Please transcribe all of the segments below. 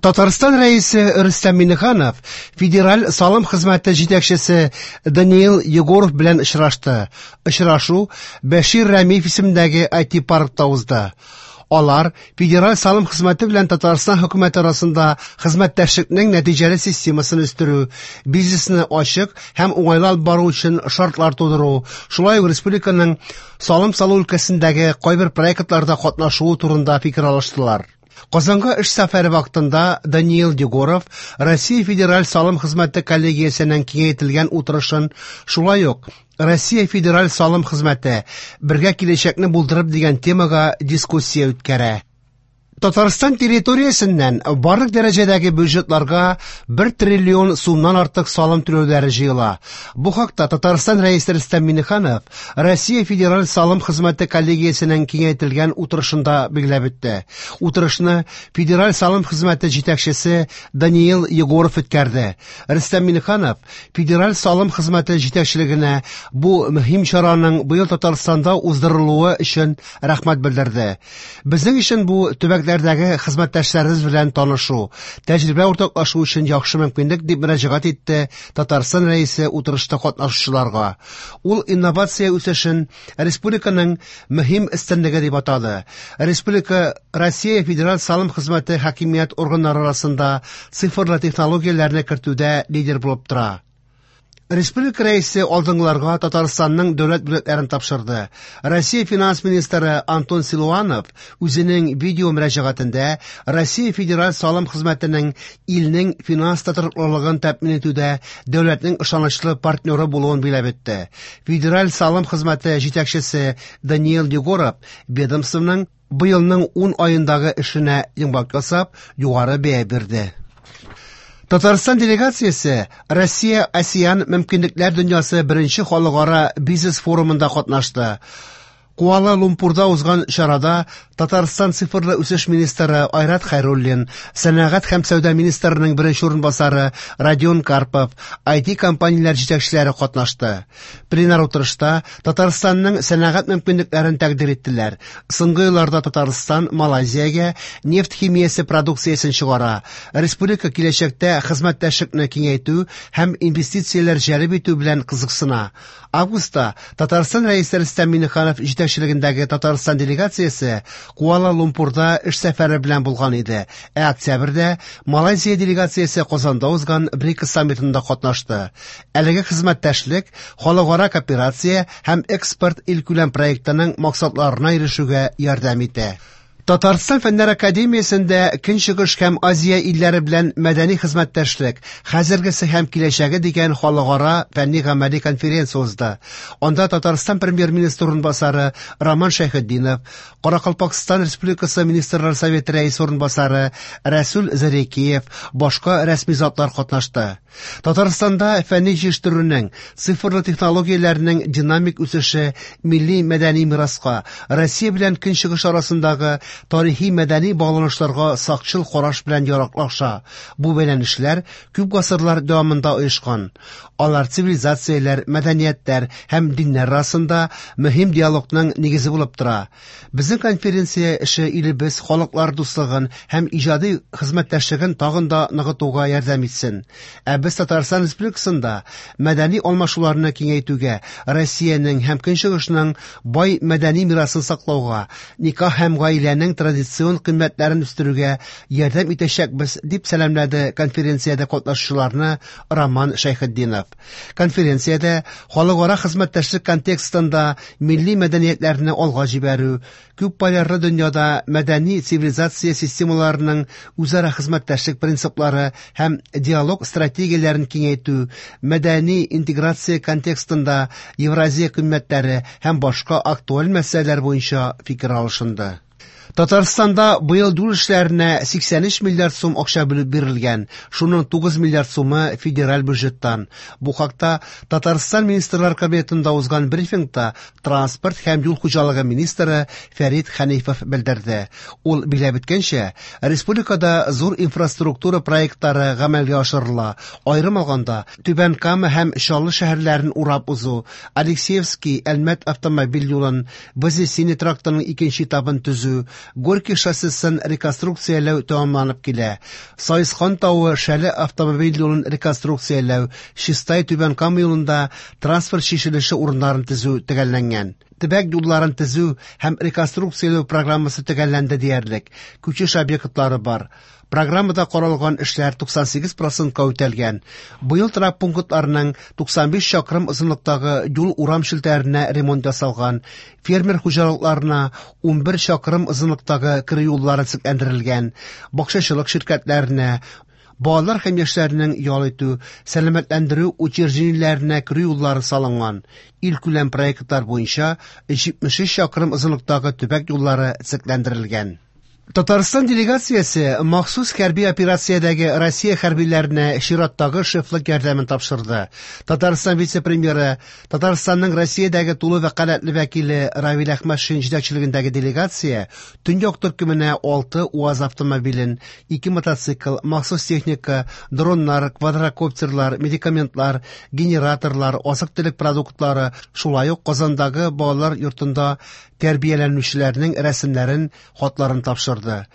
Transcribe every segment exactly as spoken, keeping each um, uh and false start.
Татарстан Рәисе Рөстәм Миңнеханов Федераль салым хезмәте җитәкчесе Даниил Егоров белән очрашты. Очрашу Бәшир Рәмиев исемендәге ай ти-паркта узды. Алар Федераль салым хезмәте белән Татарстан хөкүмәте арасында хезмәттәшлекнең нәтиҗәле системасын үстерү, бизнесны ачык һәм уңайлы алып бару өчен шартлар тудыру, шулай ук республиканың салым салу өлкәсендәге кайбер проектларда катнашуы турында фикер алыштылар. Казанга эш сәфәре вакытында Даниил Егоров Россия Федераль салым хезмәте коллегиясенең киңәйтелгән утырышын, шулай ук Россия Федераль салым хезмәте бергә киләчәкне булдырып дигән темага дискуссия үткәрә. Татарстан территориясеннән барлык дәрәҗәдәге бюджетларга бер триллион сумнан артык салым түләүләре җыела. Бу хакта Татарстан Рәисе Рөстәм Миңнеханов Россия Федераль салым хезмәте коллегиясенең киңәйтелгән утырышында билгеләп үтте. Утырышны Федераль салым хезмәте җитәкчесе Даниил Егоров үткәрде. Рөстәм Миңнеханов Федераль салым хезмәте җитәкчелегенә бу мөһим чараның быел Татарстанда уздырылуы өчен рәхмәт белдерде. Безнең өчен бу төбәк Дәге хезмәттәшләребез белән танышу, тәҗрибә уртаклашу өчен яхшы мөмкинлек дип мөрәҗәгать итте Татарстан Рәисе утырышта катнашучыларга. Ул инновация үсешен республиканың мөһим өстенлеге дип атады. Республика Россия Федераль салым хезмәте хакимият органнары арасында цифрлы технологияләрне кертүдә лидер булып тора. Республика Рәисе алдынгыларга Татарстанның дәүләт бүләкләрен тапшырды. Россия финанс министры Антон Силуанов үзенең видео мөрәҗәгатендә Россия Федераль салым хезмәтенең илнең финанс тотрыклылыгын тәэмин итүдә дәүләтнең ышанычлы партнеры булуын билгеләп үтте. Федераль салым хезмәте җитәкчесе Даниил Егоров ведомствоның быелның ун аендагы эшенә йомгак ясап, югары бәя бирде. Татарстан делегациясе Россия-АСЕАН мөмкинлекләр дөньясы беренче халыкара бизнес форумында катнашты. Куала-Лумпурда узган чарада Татарстан цифрлы үсеш министры Айрат Хәйруллин, сәнәгать һәм сәүдә министрының беренче урынбасары Родион Карпов, ай ти компанияләр җитәкчеләре катнашты. Пленар утырышта Татарстанның сәнәгать мөмкинлекләрен тәкъдир иттеләр. Соңгы елларда Татарстан Малайзиягә нефть химиясе продукциясен чыгара. Республика киләчәктә хезмәттәшлекне киңәйтү һәм инвестицияләр җәлеп итү белән кызыксына. Августта Татарстан Рәисе Рөстәм Миңнеханов җитәкчелегендәге Татарстан делегациясе Куала-Лумпурда эш сәфәре белән булган иде. Ә октябрьдә Малайзия делегациясе Казанда узган БРИКС саммитында катнашты. Әлеге хезмәттәшлек халыкара кооперация һәм экспорт илкүләм проектының максатларына ирешүгә ярдәм итә. Татарстан Фәннәр Академиясендә Көнчыгыш һәм Азия илләре белән мәдәни хезмәттәшлек, хәзергесе һәм киләчәге дигән халыкара фәнни-гамәли конференция узды. Анда Татарстан премьер-министры урынбасары Роман Шәйхетдинов, Каракалпакстан Республикасы Министрлар Советы рәисе урынбасары Рәсүл Зарекиев, башка рәсми затлар катнашты. Татарстанда фәнни җитештерүнең, цифрлы технологияләрнең динамик үсеше милли мәдәни мираска, Россия белән Көнчыгыш арасындагы тарихи мәдәни багланышларга сакчыл караш белән яраклаша. Бу бәйләнешләр күп гасырлар дәвамында оешкан. Алар цивилизацияләр, мәдәниятләр һәм диннәр арасында мөһим диалогның нигезе булып тора. Безнең конференция эше илебез халыклар дуслыгын һәм иҗади хезмәттәшлеген тагын да ныгытуга ярдәм итсен. Ә без Татарстан Республикасында мәдәни алмашуларны киңәйтүгә, Россиянең һәм Көнчыгышның бай мәдәни мирасын саклауга, никах һәм гаиләнең традицион кыйммәтләрен үстерүгә ярдәм итәчәкбез, дип сәламләде конференциядә катнашучыларны Роман Шәйхетдинов. Конференциядә халыкара хезмәттәшлек контекстында милли мәдәниятләрне алга җибәрү, күп полярлы дөньяда мәдәни цивилизация системаларының үзара хезмәттәшлек принциплары һәм диалог стратегияләрен киңәйтү, мәдәни интеграция контекстында Евразия кыйммәтләре һәм башка актуаль мәсьәләләр буенча фикер алышынды. Татарстанда быел юл эшләренә сиксән өч миллиард сум акча бүлеп бирелгән, шуның тугыз миллиард сумы федераль бюджеттан. Бу хакта Татарстан Министрлар Кабинетында узган брифингта транспорт һәм юл хуҗалыгы министры Фәрит Хәнифов белдерде. Ул билгеләп үткәнчә, республикада зур инфраструктура проектлары гамәлгә ашырыла. Аерым алганда, Түбән Кама һәм Чаллы шәһәрләрен урап узу, Алексеевский Әлмәт автомобиль юлын, Вознесение трактының икенче этабын төзү, Горький шоссесын реконструкцияләү тәмамланып килә. Саескан тавы Шәле автомобиль юлын реконструкцияләү, Чистай Түбән Кама юлында транспорт чишелеше урыннарын төзү төгәлләнгән. Төбәк юлларын төзү һәм реконструкцияләү программасы төгәлләнде диярлек. Күчеш объектлары бар. Программада каралган эшләр туксан сигез процентка үтәлгән. Быел торак пунктларының туксан биш чакрым озынлыктагы юл урам челтәренә ремонт ясалган, фермер хуҗалыкларына ун бер чакрым озынлыктагы керү юллары төзекләндерелгән, бакчачылык ширкәтләренә, балалар һәм яшьләрнең ял итү, сәламәтләндерү учреждениеләренә керү юллары салынган. Илкүләм проектлар буенча җитмеш өч чакрым озынлыктагы төбәк юллары төзекләндерелгән. Татарстан делегациясе махсус хәрби операциядәге Россия хәрбиләренә чираттагы шефлык ярдәмен тапшырды. Татарстан вице-премьеры, Татарстанның Россиядәге тулы вәкаләтле вәкиле Равил Әхмәтшин җитәкчелегендәге делегация Төньяк төркеменә алты УАЗ автомобилен, ике мотоцикл, махсус техника, дроннар, квадрокоптерлар, медикаментлар, генераторлар, азык-төлек продуктлары, шулай ук Казандагы балалар йортында тәрбияләнүчеләрнең рәсемнәрен, хатларын тапшырды.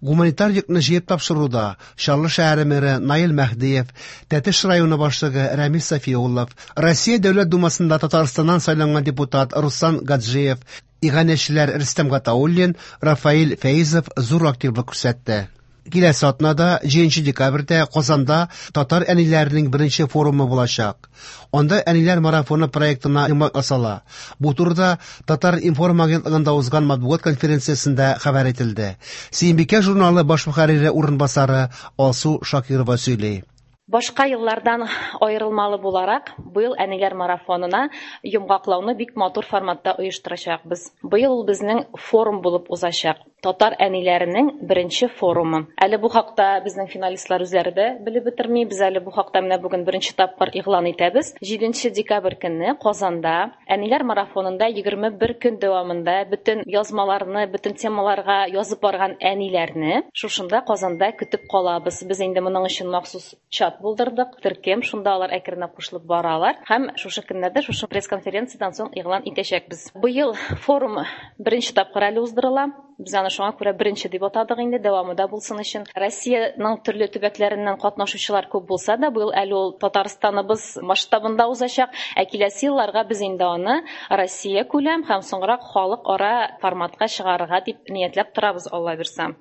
Гуманитар йөкне җыеп тапшыруда Чаллы шәһәре мэры Наил Мәһдиев, Тәтеш районы башлыгы Рәмис Сафиуллов, Россия Дәүләт Думасында Татарстаннан сайланган депутат Руслан Гаджиев, иганәчеләр Рөстәм Гатауллин, Рафаэль Фәизов зур активлык күрсәтте. Киләсе атнада, җиденче декабрьдә Казанда татар әниләренең беренче форумы булачак. Анда әниләр марафоны проектына йомгак ясала. Бу турыда Татар информ агентлыгында узган матбугат конференциясендә хәбәр ителде. Сөембикә журналы баш мөхәррире урынбасары Алсу Шакирова сөйли. Башка еллардан аерылмалы буларак, быел әниләр марафонына йомгаклауны бик матур форматта оештырачакбыз. Быел ул безнең форум булып узачак. Татар әниләренең беренче форумы. Әле бу хакта безнең финалистлар үзләре дә белеп бетерми. Без әле бу хакта менә бүген беренче тапкыр игълан итәбез. Җиденче декабрь көнне Казанда әниләр марафонында егерме бер көн дәвамында бөтен язмаларны, бөтен темаларга язып барган әниләрне шушында Казанда көтеп калабыз. Без инде моның өчен махсус чат булдырдык, төркем, шунда алар әкренләп кушылып баралар һәм шушы көннәрдә шушы пресс-конференциядән соң игълан итәчәкбез. Быел форум беренче тапкыр әле уздырыла. Без аны шуңа күрә беренче дип атадык инде, дәвамы да булсын өчен. Россиянең төрле төбәкләреннән катнашучылар күп булса да, быел әле ул Татарстаныбыз масштабында узачак. Ә киләсе елларга без инде аны Россия күләм һәм соңрак халыкара форматка чыгарырга дип ниятләп торабыз, Алла бирсә.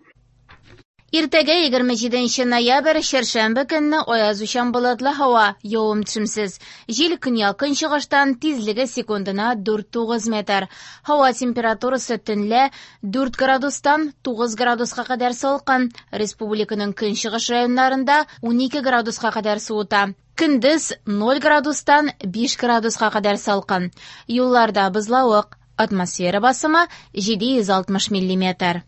Иртәгә егерме җиденче ноябрь, чәршәмбе көнне аязучан болытлы һава, явым-төшемсез. Җил көньяк-көнчыгыштан, тизлеге секундына дүрт тугыз метр. Һава температурасы төнлә дүрт градустан тугыз градуска кадәр салкын. Республиканың көнчыгыш районнарында унике градуска кадәр суыта. Көндез ноль градустан биш градуска кадәр салкын. Юлларда бозлавык. Атмосфера басымы җиде йөз алтмыш миллиметр.